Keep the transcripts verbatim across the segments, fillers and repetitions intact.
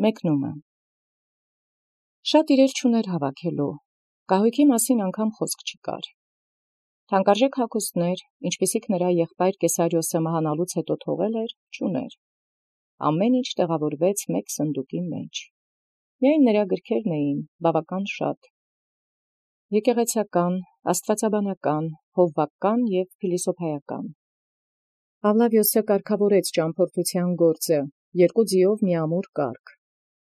Մեկնումը Շատ իրեր չուներ հավաքելու, կահույքի մասին անգամ խոսք չկար։ Թանկարժեք հագուստներ, ինչպիսիք նրա եղբայր Կեսարիոսը մահանալուց հետո թողել էր, չուներ։ Ամեն ինչ տեղավորվեց մեկ սնդուկի մեջ։ Միայն նրա գրքերն էին բավական շատ. եկեղեցական, աստվածաբանական, հովվական և փիլիսոփայական։ Պավլավիոսը կարգավորեց ճամփորդության գործը, երկու ձիով մի ամուր կարգ։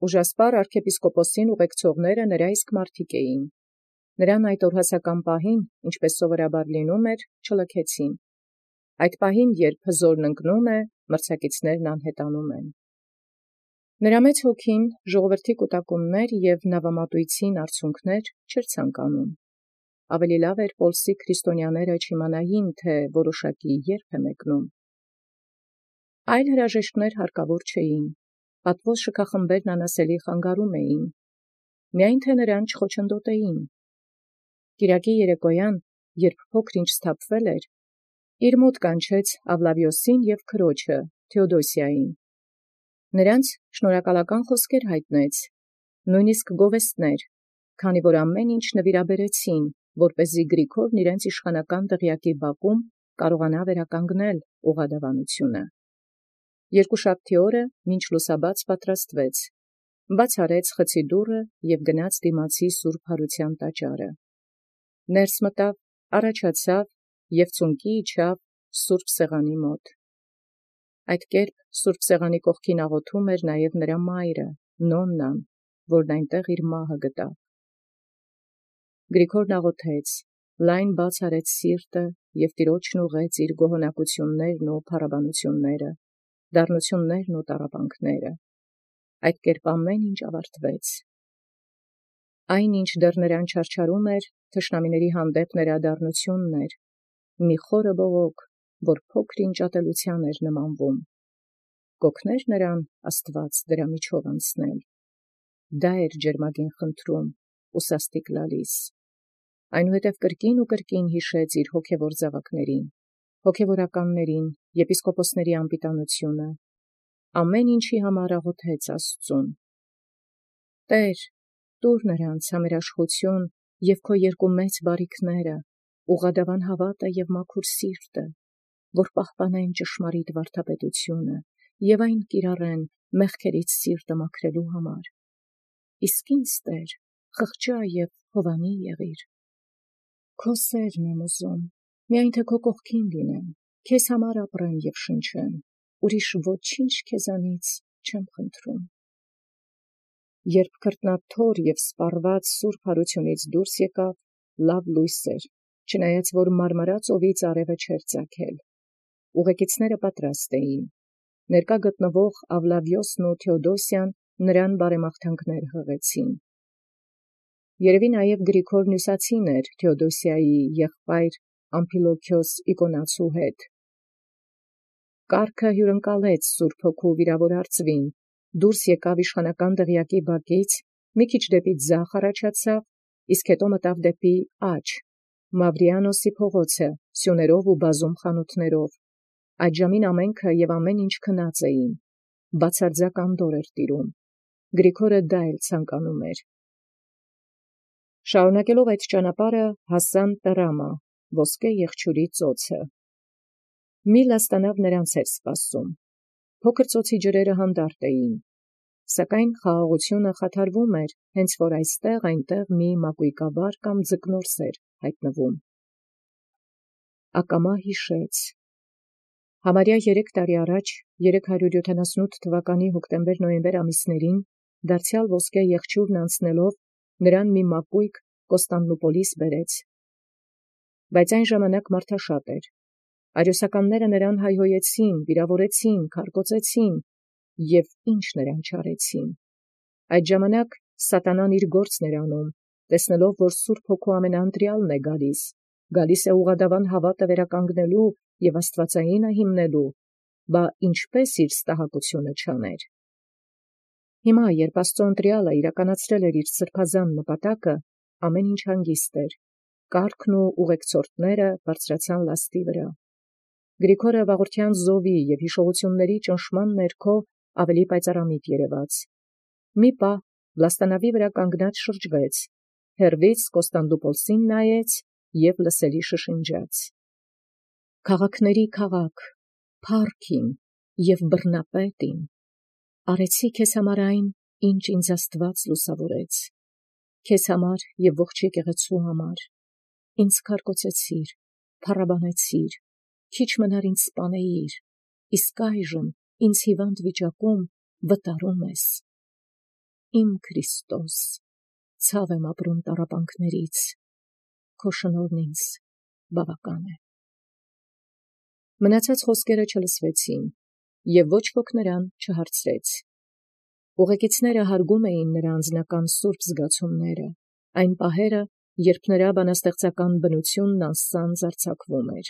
Ուժասպառ արքեպիսկոպոսին ուղեկցողները նրա իսկ մարդիկ էին։ Նրան այդ օրհասական պահին, ինչպես սովորաբար լինում էր, չլքեցին։ Այդ պահին, երբ հզորն ընկնում է, մրցակիցներն անհետանում են։ Նրա մեծ հոգին ժողովրդի կուտակումներ և նավամատույցին արցունքներ չէր ցանկանում։ Ավելի լավ էր Պոլսի քրիստոնյաները չիմանային, թե որոշակի երբ է մեկնում։ Այլ հրաժեշտներ հարկավոր չէին։ Պատվոս շքախմբերն անասելի խանգարում էին։ Միայն թե նրան չխոչընդոտեին։ Կիրակի երեկոյան, երբ փոքր-ինչ սթափվել էր, իր մոտ կանչեց Պավլավիոսին և քրոջը Թէոդոսիային։ Նրանց շնորհակալական խոսքեր հայտնեց, նույնիսկ գովեստներ, քանի որ ամեն ինչ նվիրաբերեցին, որպեսզի Գրիգորն իրենց իշխանական դղյակի բակում կարողանա վերականգնել ուղղադավանությունը։ Երկուշաբթի օրը մինչ լուսաբաց պատրաստվեց, բաց արեց խցի դուռը և գնաց դիմացի սուրբ Հարության տաճարը։ Ներս մտավ, առաջացավ և ծունկի իջավ սուրբ սեղանի մոտ։ Այդ կերպ սուրբ սեղանի կողքին աղոթում էր նաև նրա մայրը, Նոննան, որն այնտեղ իր մահը գտավ։ Գրիգորն աղոթեց, լայն բաց արեց սիրտը և տիրոջն ուղղեց իր գոհունակություններն ու փառաբանությունները, դառնություններն ու տառապանքները։ Այդ կերպ ամեն ինչ ավարտվեց։ Այն, ինչ դեռ նրան չարչարում էր, թշնամիների հանդեպ նրա դառնությունն էր, մի խորը բողոք, որ փոքր-ինչ ատելության էր նմանվում։ Կօգներ նրան Աստված դրա միջով անցնել։ Դա էր ջերմագին խնդրում ու սաստիկ լալիս։ Այնուհետև կրկին ու կրկին հիշեց իր հոգևոր զավակներին, հոգևորականներին, եպիսկոպոսների անպիտանությունը, ամեն ինչի համար աղոթեց Աստծուն. «Տեր, տուր նրանց համերաշխություն և քո երկու մեծ բարիքները, ուղղադավան հավատը և մաքուր սիրտը, որ պահպանեն ճշմարիտ վարդապետությունը և այն կիրառեն մեղքերից սիրտը մաքրելու համար։ Իսկ ինձ, Տեր, խղճա և հովանի եղիր։ Քո սերն եմ ուզում, միայն թե քո կողքին լինեմ, քեզ համար ապրեմ և շնչեմ, ուրիշ ոչինչ քեզանից չեմ խնդրում»։ Երբ քրտնաթոր և սպառված սուրբ Հարությունից դուրս եկավ, լավ լույս էր, չնայած որ մարմարած օդից արևը չէր ծագել։ Ուղեկիցները պատրաստ էին։ Ներկա գտնվող Պավլավիոսն ու Թէոդոսիան նրան բարեմաղթանքներ հղեցին։ Երևի նաև Գրիգորն հյուսացին էր Թէոդոսիայի եղբայր Ամփիլոքիոս Իկոնացու հետ։ Կառքը հյուրընկալեց Սուրբ Հոգու վիրավոր արծվին, դուրս եկավ իշխանական դղյակի բակից, մի քիչ դեպի ձախ առաջացավ, իսկ հետո մտավ դեպի աջ, Մավրիանոսի փողոցը, սյուներով ու բազում խանութներով։ Այդ ժամին ամենքը և ամեն ինչ քնած էին, բացարձակ անդորր էր տիրում։ Գրիգորը դա էլ ցանկանում էր։ Շարունակելով այդ ճանապարհը հասան Տրամա, ոսկե եղջյուրի ծոցը։ Մի լաստանավ նրանց էր սպասում։ Փոքր ծոցի ջրերը հանդարտ էին, սակայն խաղաղությունը խաթարվում էր, հենց որ այստեղ-այնտեղ մի մակույկաբար կամ ձկնորս էր հայտնվում։ Ակամա հիշեց։ Համարյա երեք տարի առաջ, երեք հարյուր յոթանասունութ թվականի հոկտեմբեր-նոյեմբեր ամիսներին, դարձյալ ոսկե եղջյուրն անցնելով, նրան մի մակույկ Կոստանդնուպոլիս բերեց։ Բայց այն ժամանակ մարդաշատ էր։ Արիոսականները նրան հայհոյեցին, վիրավորեցին, քարկոծեցին և ինչ նրան չարեցին։ Այդ ժամանակ սատանան իր գործն էր անում, տեսնելով, որ Սուրբ Հոգու ամենաընտրյալն է գալիս, գալիս է ուղղադավան հավատը վերականգնելու և աստվածայինը հիմնելու, բա ինչպես իր ստահակությունը չաներ։ Հիմա, երբ Աստծո ընտրյալը իրականացրել էր իր սրբազան նպատակը, ամեն ինչ հանգիստ էր, կառքն ու ուղեկցորդները բարձրացան լաստի վրա։ Գրիգորը վաղորդյան զովի և հիշողությունների ճնշման ներքո ավելի պայծառամիտ երևաց։ Մի պահ լաստանավի վրա կանգնած շրջվեց, հեռվից Կոստանդնուպոլսին նայեց և լսելի շշնջաց. «Քաղաքների քաղաք, փառք իմ և բռնապետ իմ, արեցի քեզ համար այն, ինչ ինձ Աստուած լուսաւորեց, քեզ համար և ողջ եկեղեցու համար, ինձ քարկոծեցիր, փառաբանեցիր, քիչ մնար ինձ սպանեիր, իսկ այժմ ինձ հիվանդ վիճակում վտարում ես. իմ Քրիստոս, ցավ եմ ապրում տառապանքներից, քո շնորհն ինձ բավական է»։ Մնացած խոսքերը չլսվեցին, և ոչ ոք նրան չհարցրեց։ Ուղեկիցները հարգում էին նրա անձնական սուրբ զգացումները, այն պահերը, երբ նրա բանաստեղծական բնությունն անսանձ արձակվում էր։